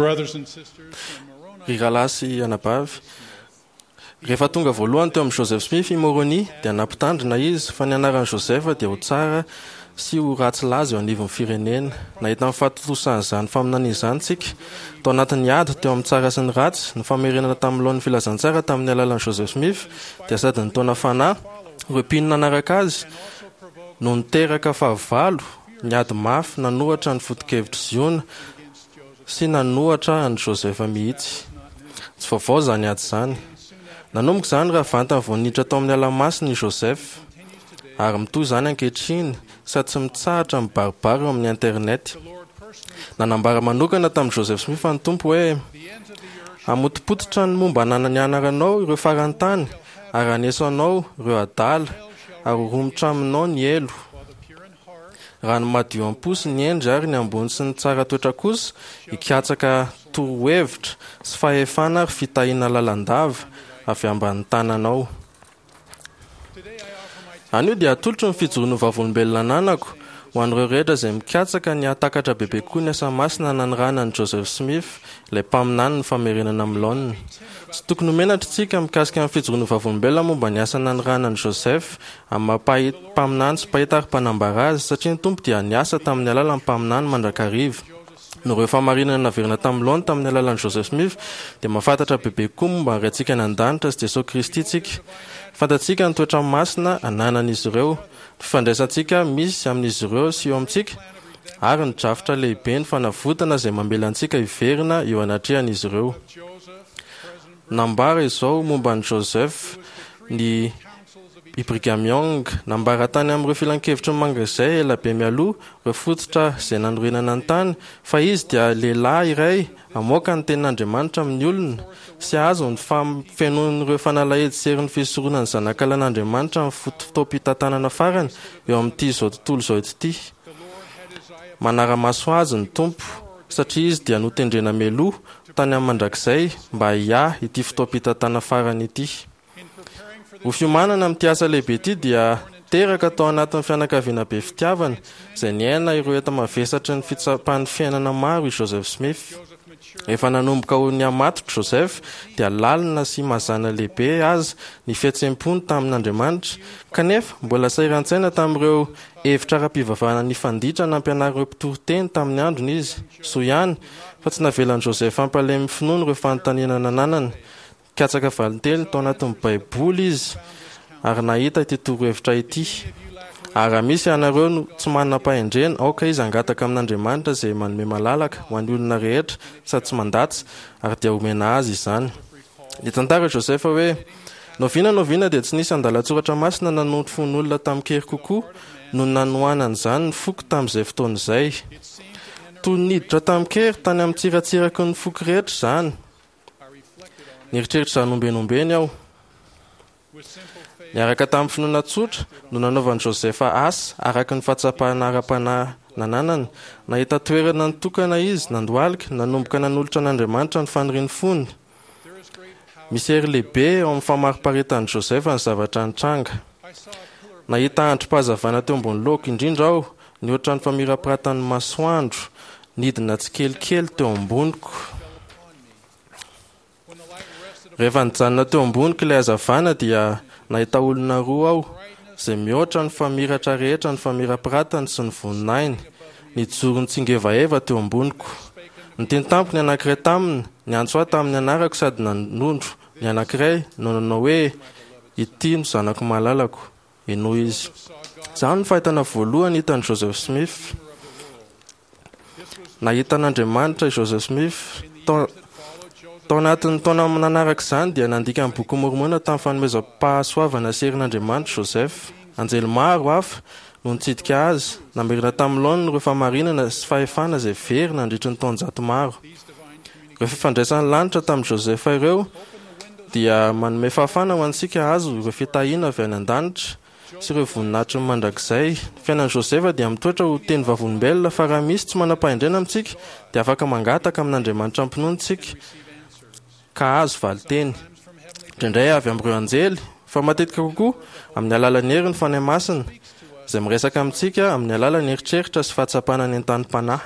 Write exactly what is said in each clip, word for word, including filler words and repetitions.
Brothers and sisters, when Moroni Ry rahalahy sy anabavy, rehefa tonga voalohany teo amin'i Joseph Smith i Moroni dia nampitandrina izy fa ny anaran'i Joseph dia ho tsara sy ho ratsy laza eo anivon'ny firenena. Nahita ny fahatontosan'izany faminaniana izany tsika tao anatin'ny ady teo amin'ny tsara sy ny ratsy. Ny famerenana tamin'ny laoniny filazantsara tamin'ny alalan'i Joseph Smith dia sady nitaona fanahy ireo mpino nanaraka azy no niteraka fahavalo niady mafy nanohitra ny foto-kevitr'i Ziona sy nanohitra an'i Joseph mihitsy. Tsy vaovao izany ady izany. Nanomboka izany raha vantany vao niditra tao amin'ny ala masina i Joseph, ary mitohy izany ankehitriny sady tsy mitsahatra mibaribary eo amin'ny internet. Nanambara manokana tamin'i Joseph Smith ny Tompo hoe: "Hamotopototra ny momba ny anaranao ireo faran'ny tany, ary haneso anao ireo adala, ary ho romotra aminao ny helo. Raha ny madio am-po sy ny hendry ary ny ambony sy ny tsara toetra kosa hikatsaka torohevitra sy fahefana ary fitahiana lalandava avy ambanin'ny tananao." Anio dia atolotro ny fijoroan'ny vavolombelona ananako ho an'ireo rehetra izay mikatsaka ny hahatakatra bebe kokoa ny asa masina nanirahana an'i Joseph Smith, ilay mpaminany ny famerenana amin'ny laoniny. Tsy tokony ho menatra isika mikasika ny fijoroan'ny vavolombelona momba ny asa nanirahana an'i Joseph amin'ny maha mpaminany sy mpahita ary mpanambara azy, satria ny Tompo dia niasa tamin'ny alalan'ny mpaminany mandrakariva. Noho ireo fahamarinana naverina tamin'ny laoniny tamin'ny alalan'i Joseph Smith, dia mahafantatra bebe kokoa momba ny Raintsika any an-danitra sy Jesosy Kristy isika. Fantatsika ny toetra masina ananan'izy ireo, ny fifandraisantsika misy amin'izy ireo sy eo amintsika, ary ny drafitra lehibe ny fanavotana izay mamela antsika hiverina eo anatrehan'izy ireo. Nambara izao momba an'i Joseph ny i Brigham Young: "Nambara tany amin'ireo filankevitry ny mandrakizay ela be mialoha ireo fototra izay nanorenana ny tany fa izy dia lehilahy iray hamoaka ny tenin'Andriamanitra amin'ny olona sy hahazo ny fahafenoan'ireo fanalahidy sy herin'ny fisoronan'ny zanakalahin'Andriamanitra amin'ny fotoam-pitantanana farany eo amin'ity izao tontolo izao ity. Manara-maso azy ny Tompo, satria izy dia notendrena mialoha tany amin'ny mandrakizay mba hiahy ity fotoam-pitantanana farany ity." Ho fiomanana amin'ity asa lehibe ity dia teraka tao anatin'ny fianakaviana be fitiavana izay niaina ireo enta-mavesatry ny fitsapan'ny fiainana maro i Joseph Smith. Rehefa nanomboka ho nihamatotra Joseph dia lalina sy mazana lehibe aza ny fihetseham-pony tamin'Andriamanitra, kanefa mbola sahiran-tsaina tamin'ireo hevitra ara-pivavahana nifanditra nampianarin'ireo mpitoriteny tamin'ny androny izy. Soa ihany fa tsy navelan'i Joseph hampalemy finoana ireo fanontaniana nananany. Nikatsaka valinteny tao anatin'ny Baiboly izy ary nahita ity torohevitra ity: "Ary raha misy ianareo no tsy manam-pahendrena, aoka izy hangataka amin'Andriamanitra izay manome malalaka ho an'ny olona rehetra sady tsy mandatsa, ary dia homena azy izany." Nitantara Joseph hoe: "N'oviana n'oviana dia tsy nisy andalan-tsoratra masina nanondro fon'olona tamin-kery kokoa noho ny nanohanan'izany ny foko tamin'izay fotoana izay. Toy ny niditra tamin-kery tany amin'ny tsiratsiraky ny foko rehetra izany. Nieritreritra izany ombieny ombieny aho." Niaraka tamin'ny finoana tsotra no nanaovan'i Joseph asa araka ny fahatsapana ara-panahy nananany. Nahita toerana nitokana izy, nandohalika, nanomboka nanolotra an'Andriamanitra ny fanirian'ny fony. Misy hery lehibe eo amin'ny famariparitan'i Joseph ny zavatra nitranga. "Nahita andrim-pahazavana teo ambony lohako indrindra aho, nihoatra ny famirapiratan'ny masoandro, nidina tsikelikely teo amboniko. Rehefa nijanona teo amboniko ilay hazavana dia nahita olona roa aho izay mihoatra ny famiratra rehetra ny famirapiratany sy ny voninahiny, nijoro nitsingevaheva teo amboniko. Niteny tamiko ny anankiray taminy, niantso ahy tamin'ny anarako sady nanondro ny anankiray no nanao hoe: 'Ity no zanako malalako, henoy izy.' Izany no fahitana voalohany hitan'i Joseph Smith. Nahita an'Andriamanitra i Joseph Smith. Tao tao anatin'ny taona nanaraka izany dia nandika ny Boky Mormona tamin'ny fanomezam-pahasoavana sy herin'Andriamanitra Joseph. Anjely maro hafa no nitsidika azy, namerina tamin'ny laoniny ireo fahamarinana sy fahefana izay very nandritry ny taonjato maro. Ireo fifandraisan'ny lanitra tamin'i Joseph ireo dia manome fahafahana ho antsika hahazo ireo fitahiana avy any an-danitra sy ireo voninahitry ny mandrakizay. Ny fiainan'i Joseph dia mitoetra ho teny vavolombelona fa raha misy tsy manam-pahendrena amintsika dia afaka mangataka amin'Andriamanitra am-pinoana isika ka hahazo valinteny. Indraindray avy amin'ireo anjely, fa matetika kokoa amin'ny alalan'ny herin'ny Fanahy Masina, izay miresaka amintsika amin'ny alalan'ny eritreritra sy fahatsapana ny entanim-panahy.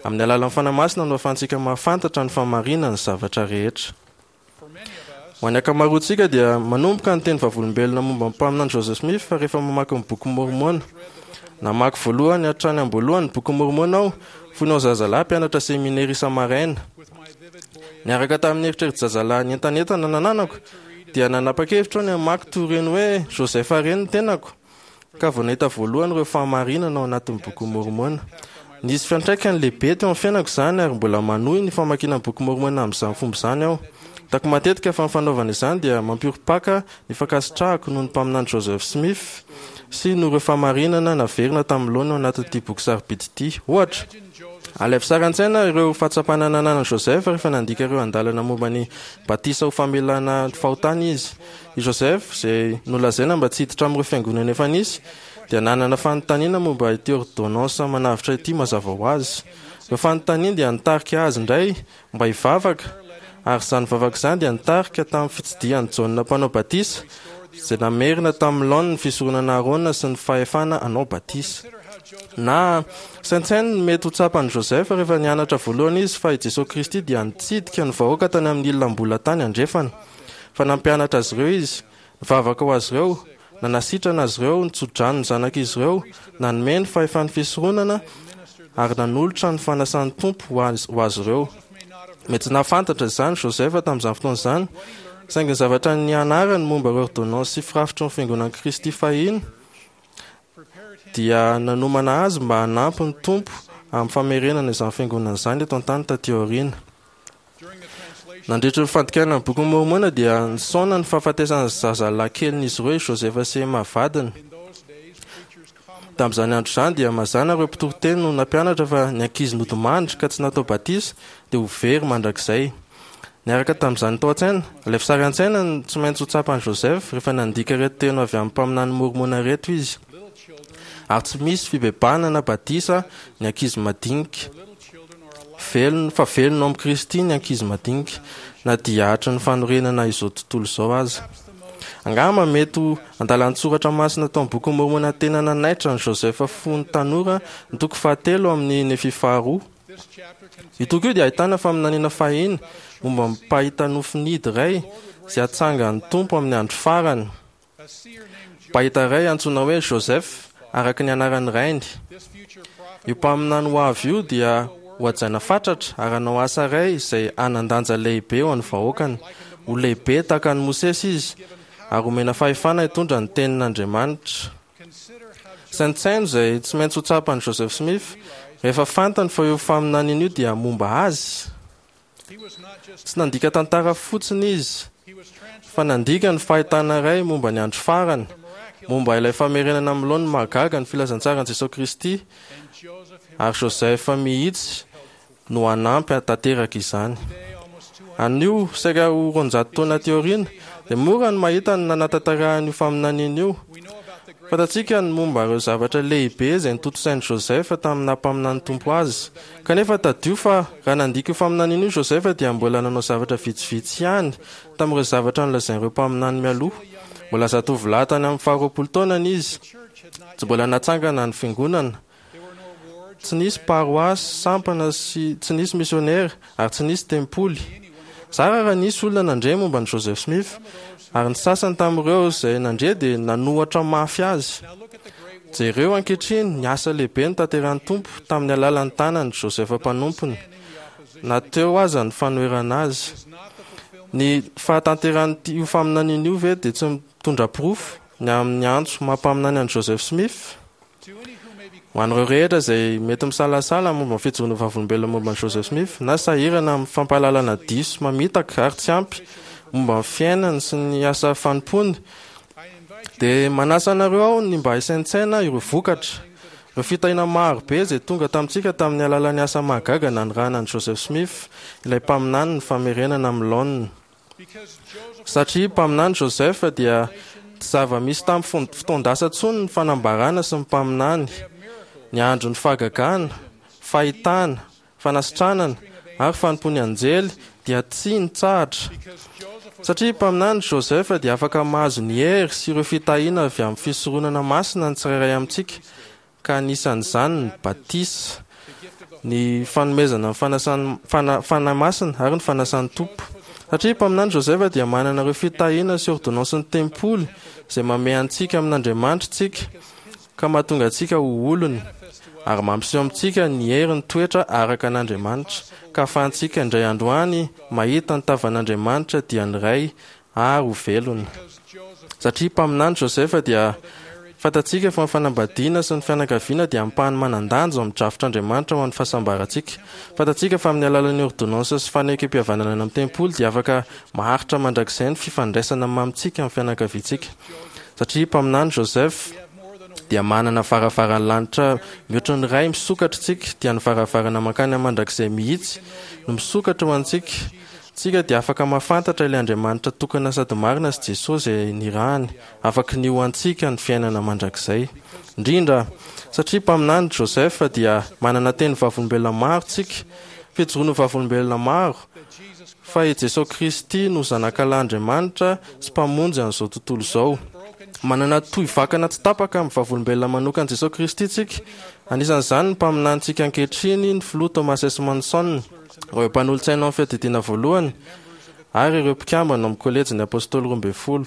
Amin'ny alalan'ny Fanahy Masina no ahafahantsika mahafantatra ny fahamarinan'ny zavatra rehetra. Ho an'ny ankamaroantsika dia manomboka ny teny vavolombelona momba ny mpaminany Joseph Smith fa rehefa mamaky ny boky Mormona. Namaky voalohany hatrany am-boalohany ny boky Mormona aho fony aho zazalahy mpianatra seminera isa-maraina. Niaraka tamin'ny eritreri-jazalahy nientanentana nananako dia nanapa-kevitra aho ny hamaky toy ireny hoe Joseph ireny ny tenako, ka vao nahita voalohany ireo fahamarinana ao anatin'ny boky Mormona. Nisy fiantraikany lehibe teo amin'ny fiainako izany ary mbola manohy ny famakiana ny boky Mormona amin'izany fomba izany aho. Hitako matetika fa ny fanaovana izany dia mampiorim-paka ny fankasitrahako noho ny mpaminany Joseph Smith sy noho ireo fahamarinana naverina tamin'ny laoniny ao anatin'ity boky sarobidy ity. Ohatra, alaivo sary an-tsaina ireo fahatsapana nananan'i Joseph rehefa nandika ireo andalana momba ny batisa ho famelana fahotana izy. I Joseph, izay nolazaina mba tsy hiditra amin'ireo fiangonana efa nisy, dia nanana fanontaniana momba ity ordonnance manavotra ity mazava ho azy. Ireo fanontaniana dia nitarika azy indray mba hivavaka, ary izany vavaka izany dia nitarika tamin'ny fitsidihan'i Jaona mpanao batisa, izay namerina tamin'ny laoniny ny fisoronana Arona sy ny fahefana hanao batisa. Na saintsaino ny mety ho tsapan'i Joseph rehefa nianatra voalohany izy fa i Jesoa Kristy dia nitsidika ny vahoaka tany amin'ny ilam-bola tany andrefana, fa nampianatra azy ireo izy, nivavaka ho azy ireo, nanasitrana azy ireo, nitsodrano ny zanak'izy ireo, nanome ny fahefan'ny fisoronana ary nanolotra ny fanasan'ny Tompo ho azy ho azy ireo. Mety tsy nahafantatra izany Joseph tamin'izany fotoana izany, saingy ny zavatra nianarany momba ireo ordonnance sy firafitry ny fiangonan'i Kristy fahiny dia nanomana azy mba hanampy ny Tompo amin'ny famerenana izany fiangonana izany eto an-tany taty aoriana. Nandritra ny fandikana ny bokin'i Mormona dia nisaona ny fahafatesan'ny zazalahy kelin'izy ireo i Joseph sy Emma vadiny. Tamin'izany andro izany dia mazàna ireo mpitoriteny no nampianatra fa ny ankizy nodimandry ka tsy natao batisa dia ho very mandrakizay. Niaraka tamin'izany tao an-tsaina, alaivo sary an-tsaina ny tsy maintsy ho tsapan'i Joseph rehefa nandika ireto teny avy amin'ny mpaminany Mormona ireto izy. Ary tsy misy fibebahana na batisa ny ankizy madinika. Velona, fa velona ao amin'i Kristy ny ankizy madinika, na dia hatry ny fanorenana izao tontolo izao aza. Angamba mety ho andalan-tsoratra masina tao amin'ny Bokin'i Môrmôna tena nanaitra an'i Joseph fony tanora ny toko fahatelo amin'ny Nefia faharoa. Io toko io dia ahitana faminaniana fahiny momba ny mpahita nofinidy iray izay hatsangan'ny Tompo amin'ny andro farany. Mpahita iray antsoina hoe Joseph, araka ny anaran'ny rainy. Io mpaminany ho avy io dia hohajaina fatratra ary hanao asa iray izay hanan-danja lehibe ho an'ny vahoakany. Ho lehibe tahaka an'i Mosesy izy ary homena fahefana hitondra ny tenin'Andriamanitra. Saintsaino izay tsy maintsy ho tsapan'i Joseph Smith rehefa fantany fa io faminaniana io dia momba azy. Tsy nandika tantara fotsiny izy, fa nandika ny fahitana iray momba ny andro farany, momba ilay famerenana amin'ny laoniny mahagaga ny filazantsaran'i Jesoa Kristy, ary Joseph mihitsy no hanampy hahatanteraka izany. Anio, saika ho roanjato taona aty aoriana, dia mora ny mahita ny nanatanterahana io faminaniana io. Fantatsika ny momba ireo zavatra lehibe izay notontosain'i Joseph tamin'ny naha-mpaminan'ny Tompo azy. Kanefa tadidio fa raha nandika io faminaniana io Joseph dia mbola nanao zavatra vitsivitsy ihany tamin'ireo zavatra nolazain'ireo mpaminany mialoha. Mbola zatovolahy tany amin'ny faharoapolo taonany izy. Tsy mbola natsangana ny fiangonana. Tsy nisy paroasy, sampana sy tsy nisy misionera ary tsy nisy tempoly. Zara raha nisy olona nandre momba an'i Joseph Smith, ary ny sasany tamin'ireo izay nandre dia nanohatra mafy azy. Jereo ankehitriny ny asa lehibe notanterahin'ny Tompo tamin'ny alalan'ny tanan'i Joseph mpanompony, na teo aza ny fanoherana azy. Ny fahatanterahan'io faminaniana io ve dia tsy mitondra porofo ny amin'ny antso maha mpaminany an'i Joseph Smith? Ho an'ireo rehetra izay mety misalasala momba ny fijoroana ho vavolombelona momba an'i Joseph Smith na sahirana amin'ny fampahalalana diso mamitaka ary tsy ampy momba ny fiainany sy ny asa fanompoany, dia manasa anareo aho ny mba hisaintsaina ireo vokatra, ireo fitahiana maro be izay tonga tamintsika tamin'ny alalan'ny asa mahagaga nanirahana an'i Joseph Smith, ilay mpaminany ny famerenana amin'ny laoniny. Satria mpaminany Joseph dia tsy zava-misy tamin'ny fotoan-dasa intsony ny fanambarana sy ny mpaminany. Ny andron'ny fahagagana, fahitana, fanasitranana ary fanompoan'ny anjely dia tsy nitsahatra. Satria mpaminany Joseph dia afaka mahazo ny hery sy ireo fitahiana avy amin'ny fisoronana masina ny tsirairay amintsika, ka anisan'izany ny batisa, ny fanomezana ny fanasan'ny fana, Fanahy Masina ary ny fanasan'ny Tompo. Satria mpaminany Joseph dia manana ireo fitahiana sy ordonnansin'ny tempoly izay mamehy antsika amin'Andriamanitra tsika ka mahatonga antsika ho olony ary mampiseho amintsika ny hery ny toetra araka an'Andriamanitra ka ahafahantsika indray androany mahita ny tavan'Andriamanitra dia ny Ray ary ho velona. Satria mpaminany Joseph dia fantatsika fa ny fanambadiana sy ny fianakaviana dia ampahany manan-danja ao amin'ny drafitr'Andriamanitra ho an'ny fahasambarantsika. Fantatsika fa amin'ny alalan'ny ordonnance sy fanekem-pihavanana any amin'ny tempoly dia afaka maharitra mandrakizay ny fifandraisana mamintsika amin'ny fianakaviantsika. Satria mpaminany Joseph dia manana varavaran'ny lanitra mihoatra ny ray misokatra tsika, dia ny varavarana mankany amin'ny mandrakizay mihitsy no misokatra ho antsika. Tsika dia afaka mahafantatra ilay Andriamanitra tokana sady marina sy Jesosy izay nirahany, afaka ny ho antsika ny fiainana mandrakizay. Indrindra satria mpaminany Joseph dia manana teny vavolombelona maro tsika, fijoroana vavolombelona maro fa i Jesosy Kristy no zanakalahin'Andriamanitra sy mpamonjy an'izao tontolo izao. Manana tohy vakana tsy tapaka amin'ny vavolombelona manokana Jesosy Kristy tsika. Anisan'izany ny mpaminanintsika ankehitriny, ny filoha Thomas S. Monson, ireo mpanolotsaina ao amin'ny fiadidiana voalohany ary ireo mpikambana ao amin'ny kolejin'ny apôstôly roa ambin'ny folo.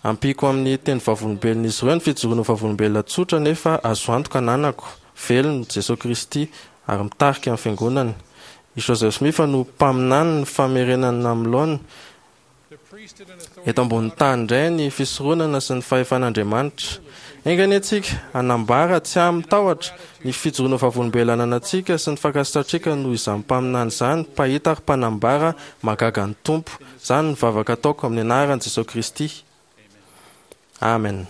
Ampiako amin'ny teny vavolombelon'izy ireo ny fijoroana vavolombelona tsotra nefa azo antoka ananako, velona Jesosy Kristy ary mitarika ny fiangonana. I Joseph Smith no mpaminany ny famerenana amin'ny laoniny eto ambonin'ny tany indray ny fisoronana sy ny fahefan'Andriamanitra. Enga anie tsika hanambara tsy amin'ny tahotra ny fijoroana vavolombelona ananantsika sy ny fankasitrahantsika noho izany mpaminany izany, mpahita ary mpanambara mahagaga ny Tompo. Izany no vavaka ataoko amin'ny anaran'i Jesosy Kristy. Amen.